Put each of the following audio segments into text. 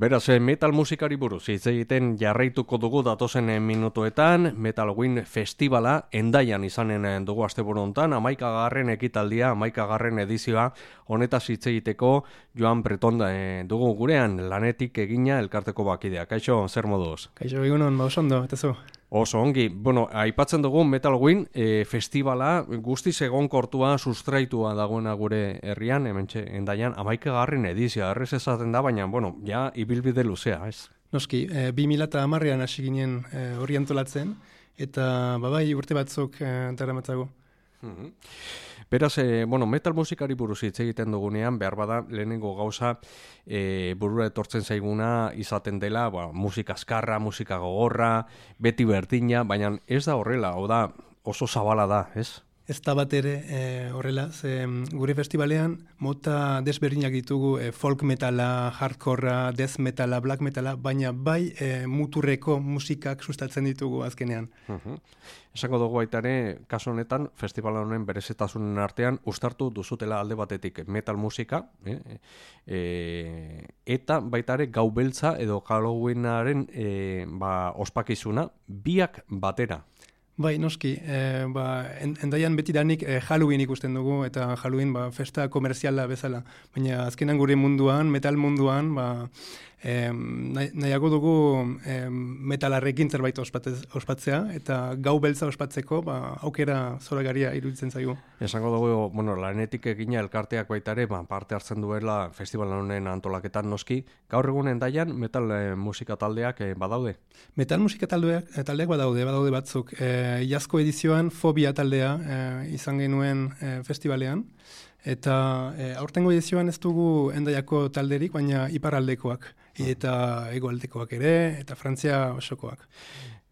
Beraz, metal musikari buruz hitz egiten jarraituko dugu datozen minutuetan. Metal Win Festivala Hendaian izanen dugu asteburu hontan, 11. ekitaldia, 11. edizioa honetaz hitz egiteko Joan Breton dugu gurean, Lanetik egina elkarteko bakidea. Kaixo, zer moduz? Kaixo, egunon, oso ondo, eta zu? Oso ongi. Bueno, aipatzen dugu Metal Win Festivala guztiz egonkortua, sustraitua dagoena gure herrian, hementxe Hendaian, 11. edizioa, errez esaten da, baina, bueno, ja, ibilbide luzea, ez? Noski, 2010an hasi ginen hori antolatzen, eta bai urte batzuk daramatzago. Beraz, metal musikari buruz hitz egiten dugunean, behar bada lehenengo gauza burura etortzen zaiguna izaten dela, musika azkarra, musika gogorra, beti berdina, baina ez da horrela, da oso zabala da, ez? Ez da bat ere horrela, gure festivalean mota desberdinak ditugu folk metala, hardcorra, death metala, black metala, baina bai muturreko musikak sustatzen ditugu azkenean. Esango dugu baita ere, kasu honetan, festival honen berezitasunen artean uztartu duzutela alde batetik metal musika, eta baita ere gau beltza edo Halloweenaren ospakizuna, biak batera. Bai, noski, Hendaian betidanik Halloween ikusten dugu, eta Halloween festa komerziala bezala. Baina azkenan gure munduan, metal munduan, nahiago dugu metalarrekin zerbait ospatzea, eta gau beltza ospatzeko aukera zoragarria iruditzen zaigu. Esango dugu, Lanetik egina elkarteak baita ere, parte hartzen duela festival honen antolaketan noski. Gaur egun Hendaian metal musika taldeak badaude? Metal musika taldeak badaude batzuk. Iazko edizioan Fobia taldea izan genuen festivalean, eta aurtengo edizioan ez dugu Hendaiako talderik, baina iparraldekoak, eta hegoaldekoak ere, eta Frantzia osokoak.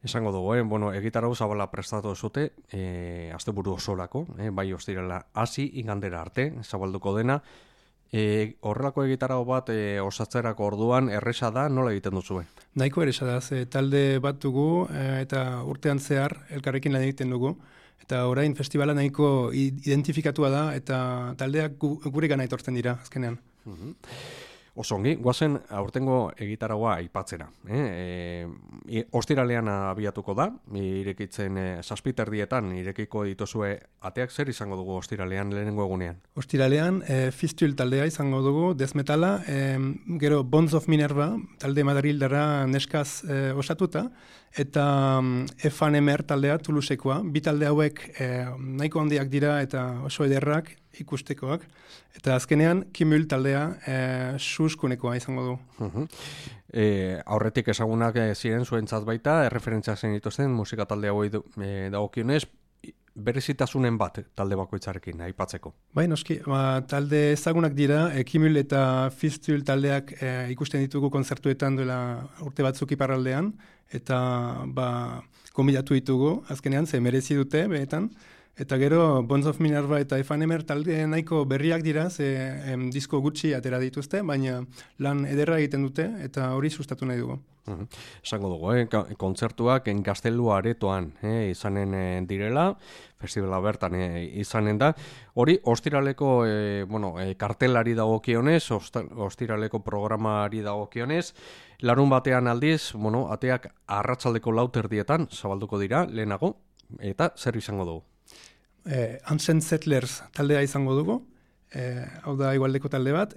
Esango dugu, egitarau zabala prestatu zute, asteburu osorako, bai ostirala hasi igandera arte, zabalduko dena. Horrelako egitarau bat osatzerako orduan erresa da, nola egiten duzue? Nahiko erresa da, talde bat dugu eta urtean zehar elkarrekin lan egiten dugu. Eta orain festivala nahiko identifikatua da eta taldeak gure gana etortzen dira azkenean. Oso ongi, guazen aurtengo egitaragoa aipatzera. Ostiralean abiatuko da, irekitzen 7:00 irekiko dituzue ateak, zer izango dugu ostiralean lehenengo egunean? Ostiralean Fistule taldea izango dugu, death metala, gero Bones of Minerva, talde madrildarra neskaz osatuta, eta Efanemer taldea Toulousekoa, bi talde hauek nahiko handiak dira eta oso ederrak ikustekoak, eta azkenean Kimul taldea suskunekoa izango du. Aurretik ezagunak ziren zuentzat baita, erreferentziak zen dituzten musika talde hauei dagokionez, berezitasunen bat talde bakoitzarekin aipatzeko. Bai, noski, talde ezagunak dira, Kimul eta Fistule taldeak ikusten ditugu kontzertuetan duela urte batzuk iparraldean, eta konbidatu ditugu, azkenean, ze merezi dute, benetan. Eta gero, Bones of Minerva eta Efanemer talde nahiko berriak dira, disko gutxi atera dituzte, baina lan ederra egiten dute, eta hori sustatu nahi dugu. Esango dugu, kontzertuak Gaztelu aretoan izanen direla, festivala bertan izanen da. Hori, ostiraleko kartelari dagokionez, ostiraleko programari dagokionez, larun batean aldiz, ateak arratsaldeko 4:00 zabalduko dira, lehenago, eta zer izango dugu? Ancient Settlers taldea izango dugu, hau da igualdeko talde bat,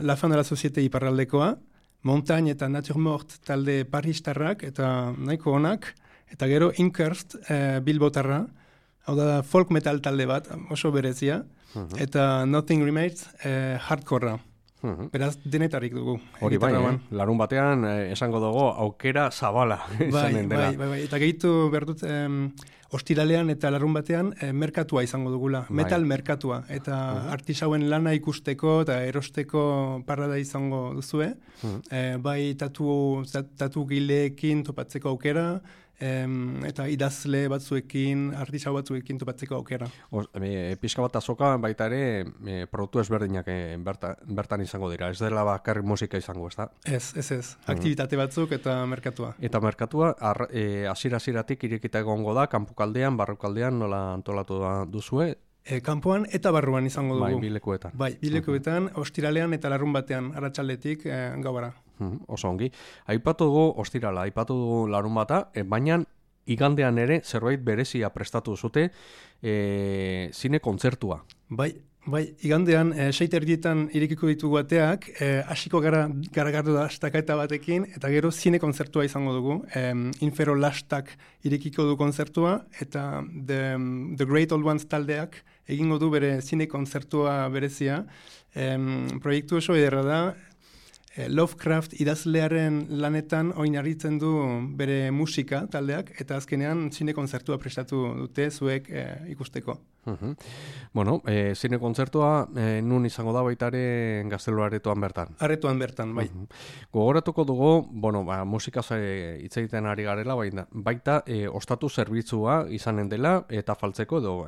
La Fin de la Société iparraldekoa, Montagne eta Nature Mort talde paristarrak eta nahiko onak, eta gero Inkerst bilbotarra, hau da folk metal talde bat, oso berezia, eta Nothing Remains hardcorra. Beraz, denetarik dugu. Hori bai, larun batean esango dugu aukera zabala izanen dela. Bai, eta gehitu behar dut, ostiralean eta larun batean merkatua izango dugula, metal merkatua, eta artisauen lana ikusteko eta erosteko parada izango duzue, bai tatu gileekin topatzeko aukera, eta idazle batzuekin, artisau batzuekin topatzeko aukera. Pixka bat azoka baita ere produktu ezberdinak bertan izango dira, ez dela bakarrik musika izango, ez da? Ez, aktivitate batzuk eta merkatua. Eta merkatua, hasiera-hasieratik irekita egongo da, kanpokaldean, barrukaldean, nola antolatu duzue? Kanpoan eta barruan izango dugu. Bai, bilekuetan. Bai, bilekuetan, ostiralean eta larun batean, arratsaldetik gauara. Oso ongi. Aipatu dugu ostirala, aipatu dugu larunbata, baina igandean ere zerbait berezia prestatu zute zine kontzertua. Bai, igandean 6:30 irekiko ditugu ateak, hasiko gara garagardo da astaketa batekin, eta gero zine kontzertua izango dugu. Infero Lastak irekiko du kontzertua, eta The Great Old Ones taldeak egingo du bere zine kontzertua berezia. Proiektu oso ederra da, Lovecraft idazlearen lanetan oinarritzen du bere musika taldeak, eta azkenean zine kontzertua prestatu dute zuek ikusteko. Bueno, zine kontzertua nun izango da baita ere Gaztelu Aretoan bertan? Aretoan bertan, bai. Gogoratuko dugu, bueno, musikaz hitz egiten ari garela, baita ostatu zerbitzua izanen dela, eta faltzeko edo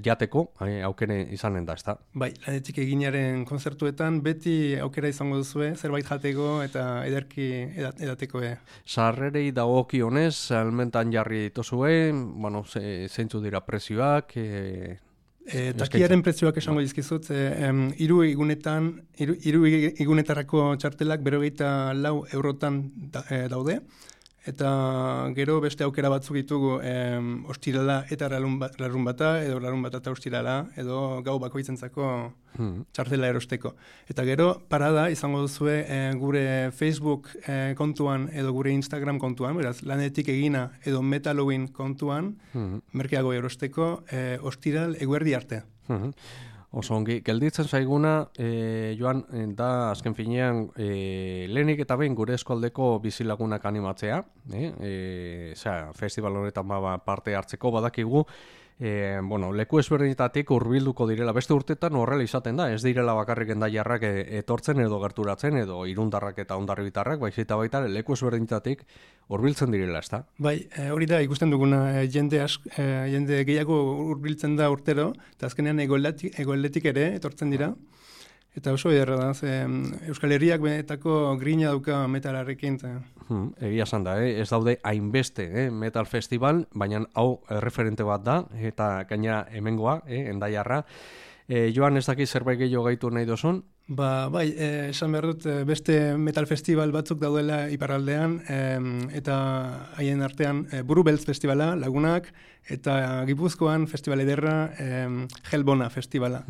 jateko aukere izanen da, ezta? Bai, lanetik eginaren kontzertuetan beti aukera izango duzue, zerbait jateko eta ederki edateko. Sarrerei dagokionez, salmentan jarri dituzue, bueno, zeintzu dira prezioak, takiaren prezioak esango dizkizut, hiru igunetarako txartelak 54 eurotan daude, eta gero beste aukera batzuk ditugu ostirala eta larunbata, edo larunbata eta ostirala, edo gau bakoitzentzako txartela erosteko. Eta gero parada izango duzue gure Facebook kontuan edo gure Instagram kontuan, beraz, lanetik egina edo Metalowin kontuan, merkeago erosteko ostiral eguerdi arte. Oso ongi, gelditzen zaiguna, Joan, da azken finean lehenik eta behin gure eskualdeko bizilagunak animatzea, festival honetan parte hartzeko badakigu, leku ezberdinetatik hurbilduko direla, beste urtetan horrela izaten da, ez direla bakarrik endaiarrak etortzen edo gerturatzen edo irundarrak eta ondarribitarrak, baita baita leku ezberdinetatik hurbiltzen direla, ezta? Bai, hori da ikusten duguna, jende gehiago hurbiltzen da urtero, eta azkenean egoaldetik ere etortzen dira. Eta oso ederra da, Euskal Herriak benetako grina dauka metalarrekin. Egia esan da, ez daude hainbeste metal festival, baina hau referente bat da, eta gaina hemengoa, endaiarra. Joan, ez daki zerbait gehiago gaitu nahi dozun? Bai, esan behar dut beste metal festival batzuk daudela iparraldean, eta haien artean Buru Beltz festivala, Lagunak, eta Gipuzkoan festival ederra, Helbona festivala.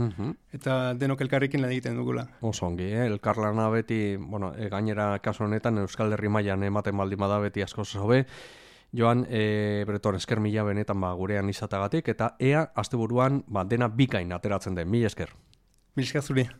Eta denok elkarrekin lan egiten dugula. Oso ongi, elkarlana beti, gainera kasu honetan Euskal Herri mailan ematen baldin bada beti asko zobe. Joan, Breton, esker mila benetan gurean izatagatik, eta ea asteburuan dena bikain ateratzen den, mila esker. Mila esker zuri.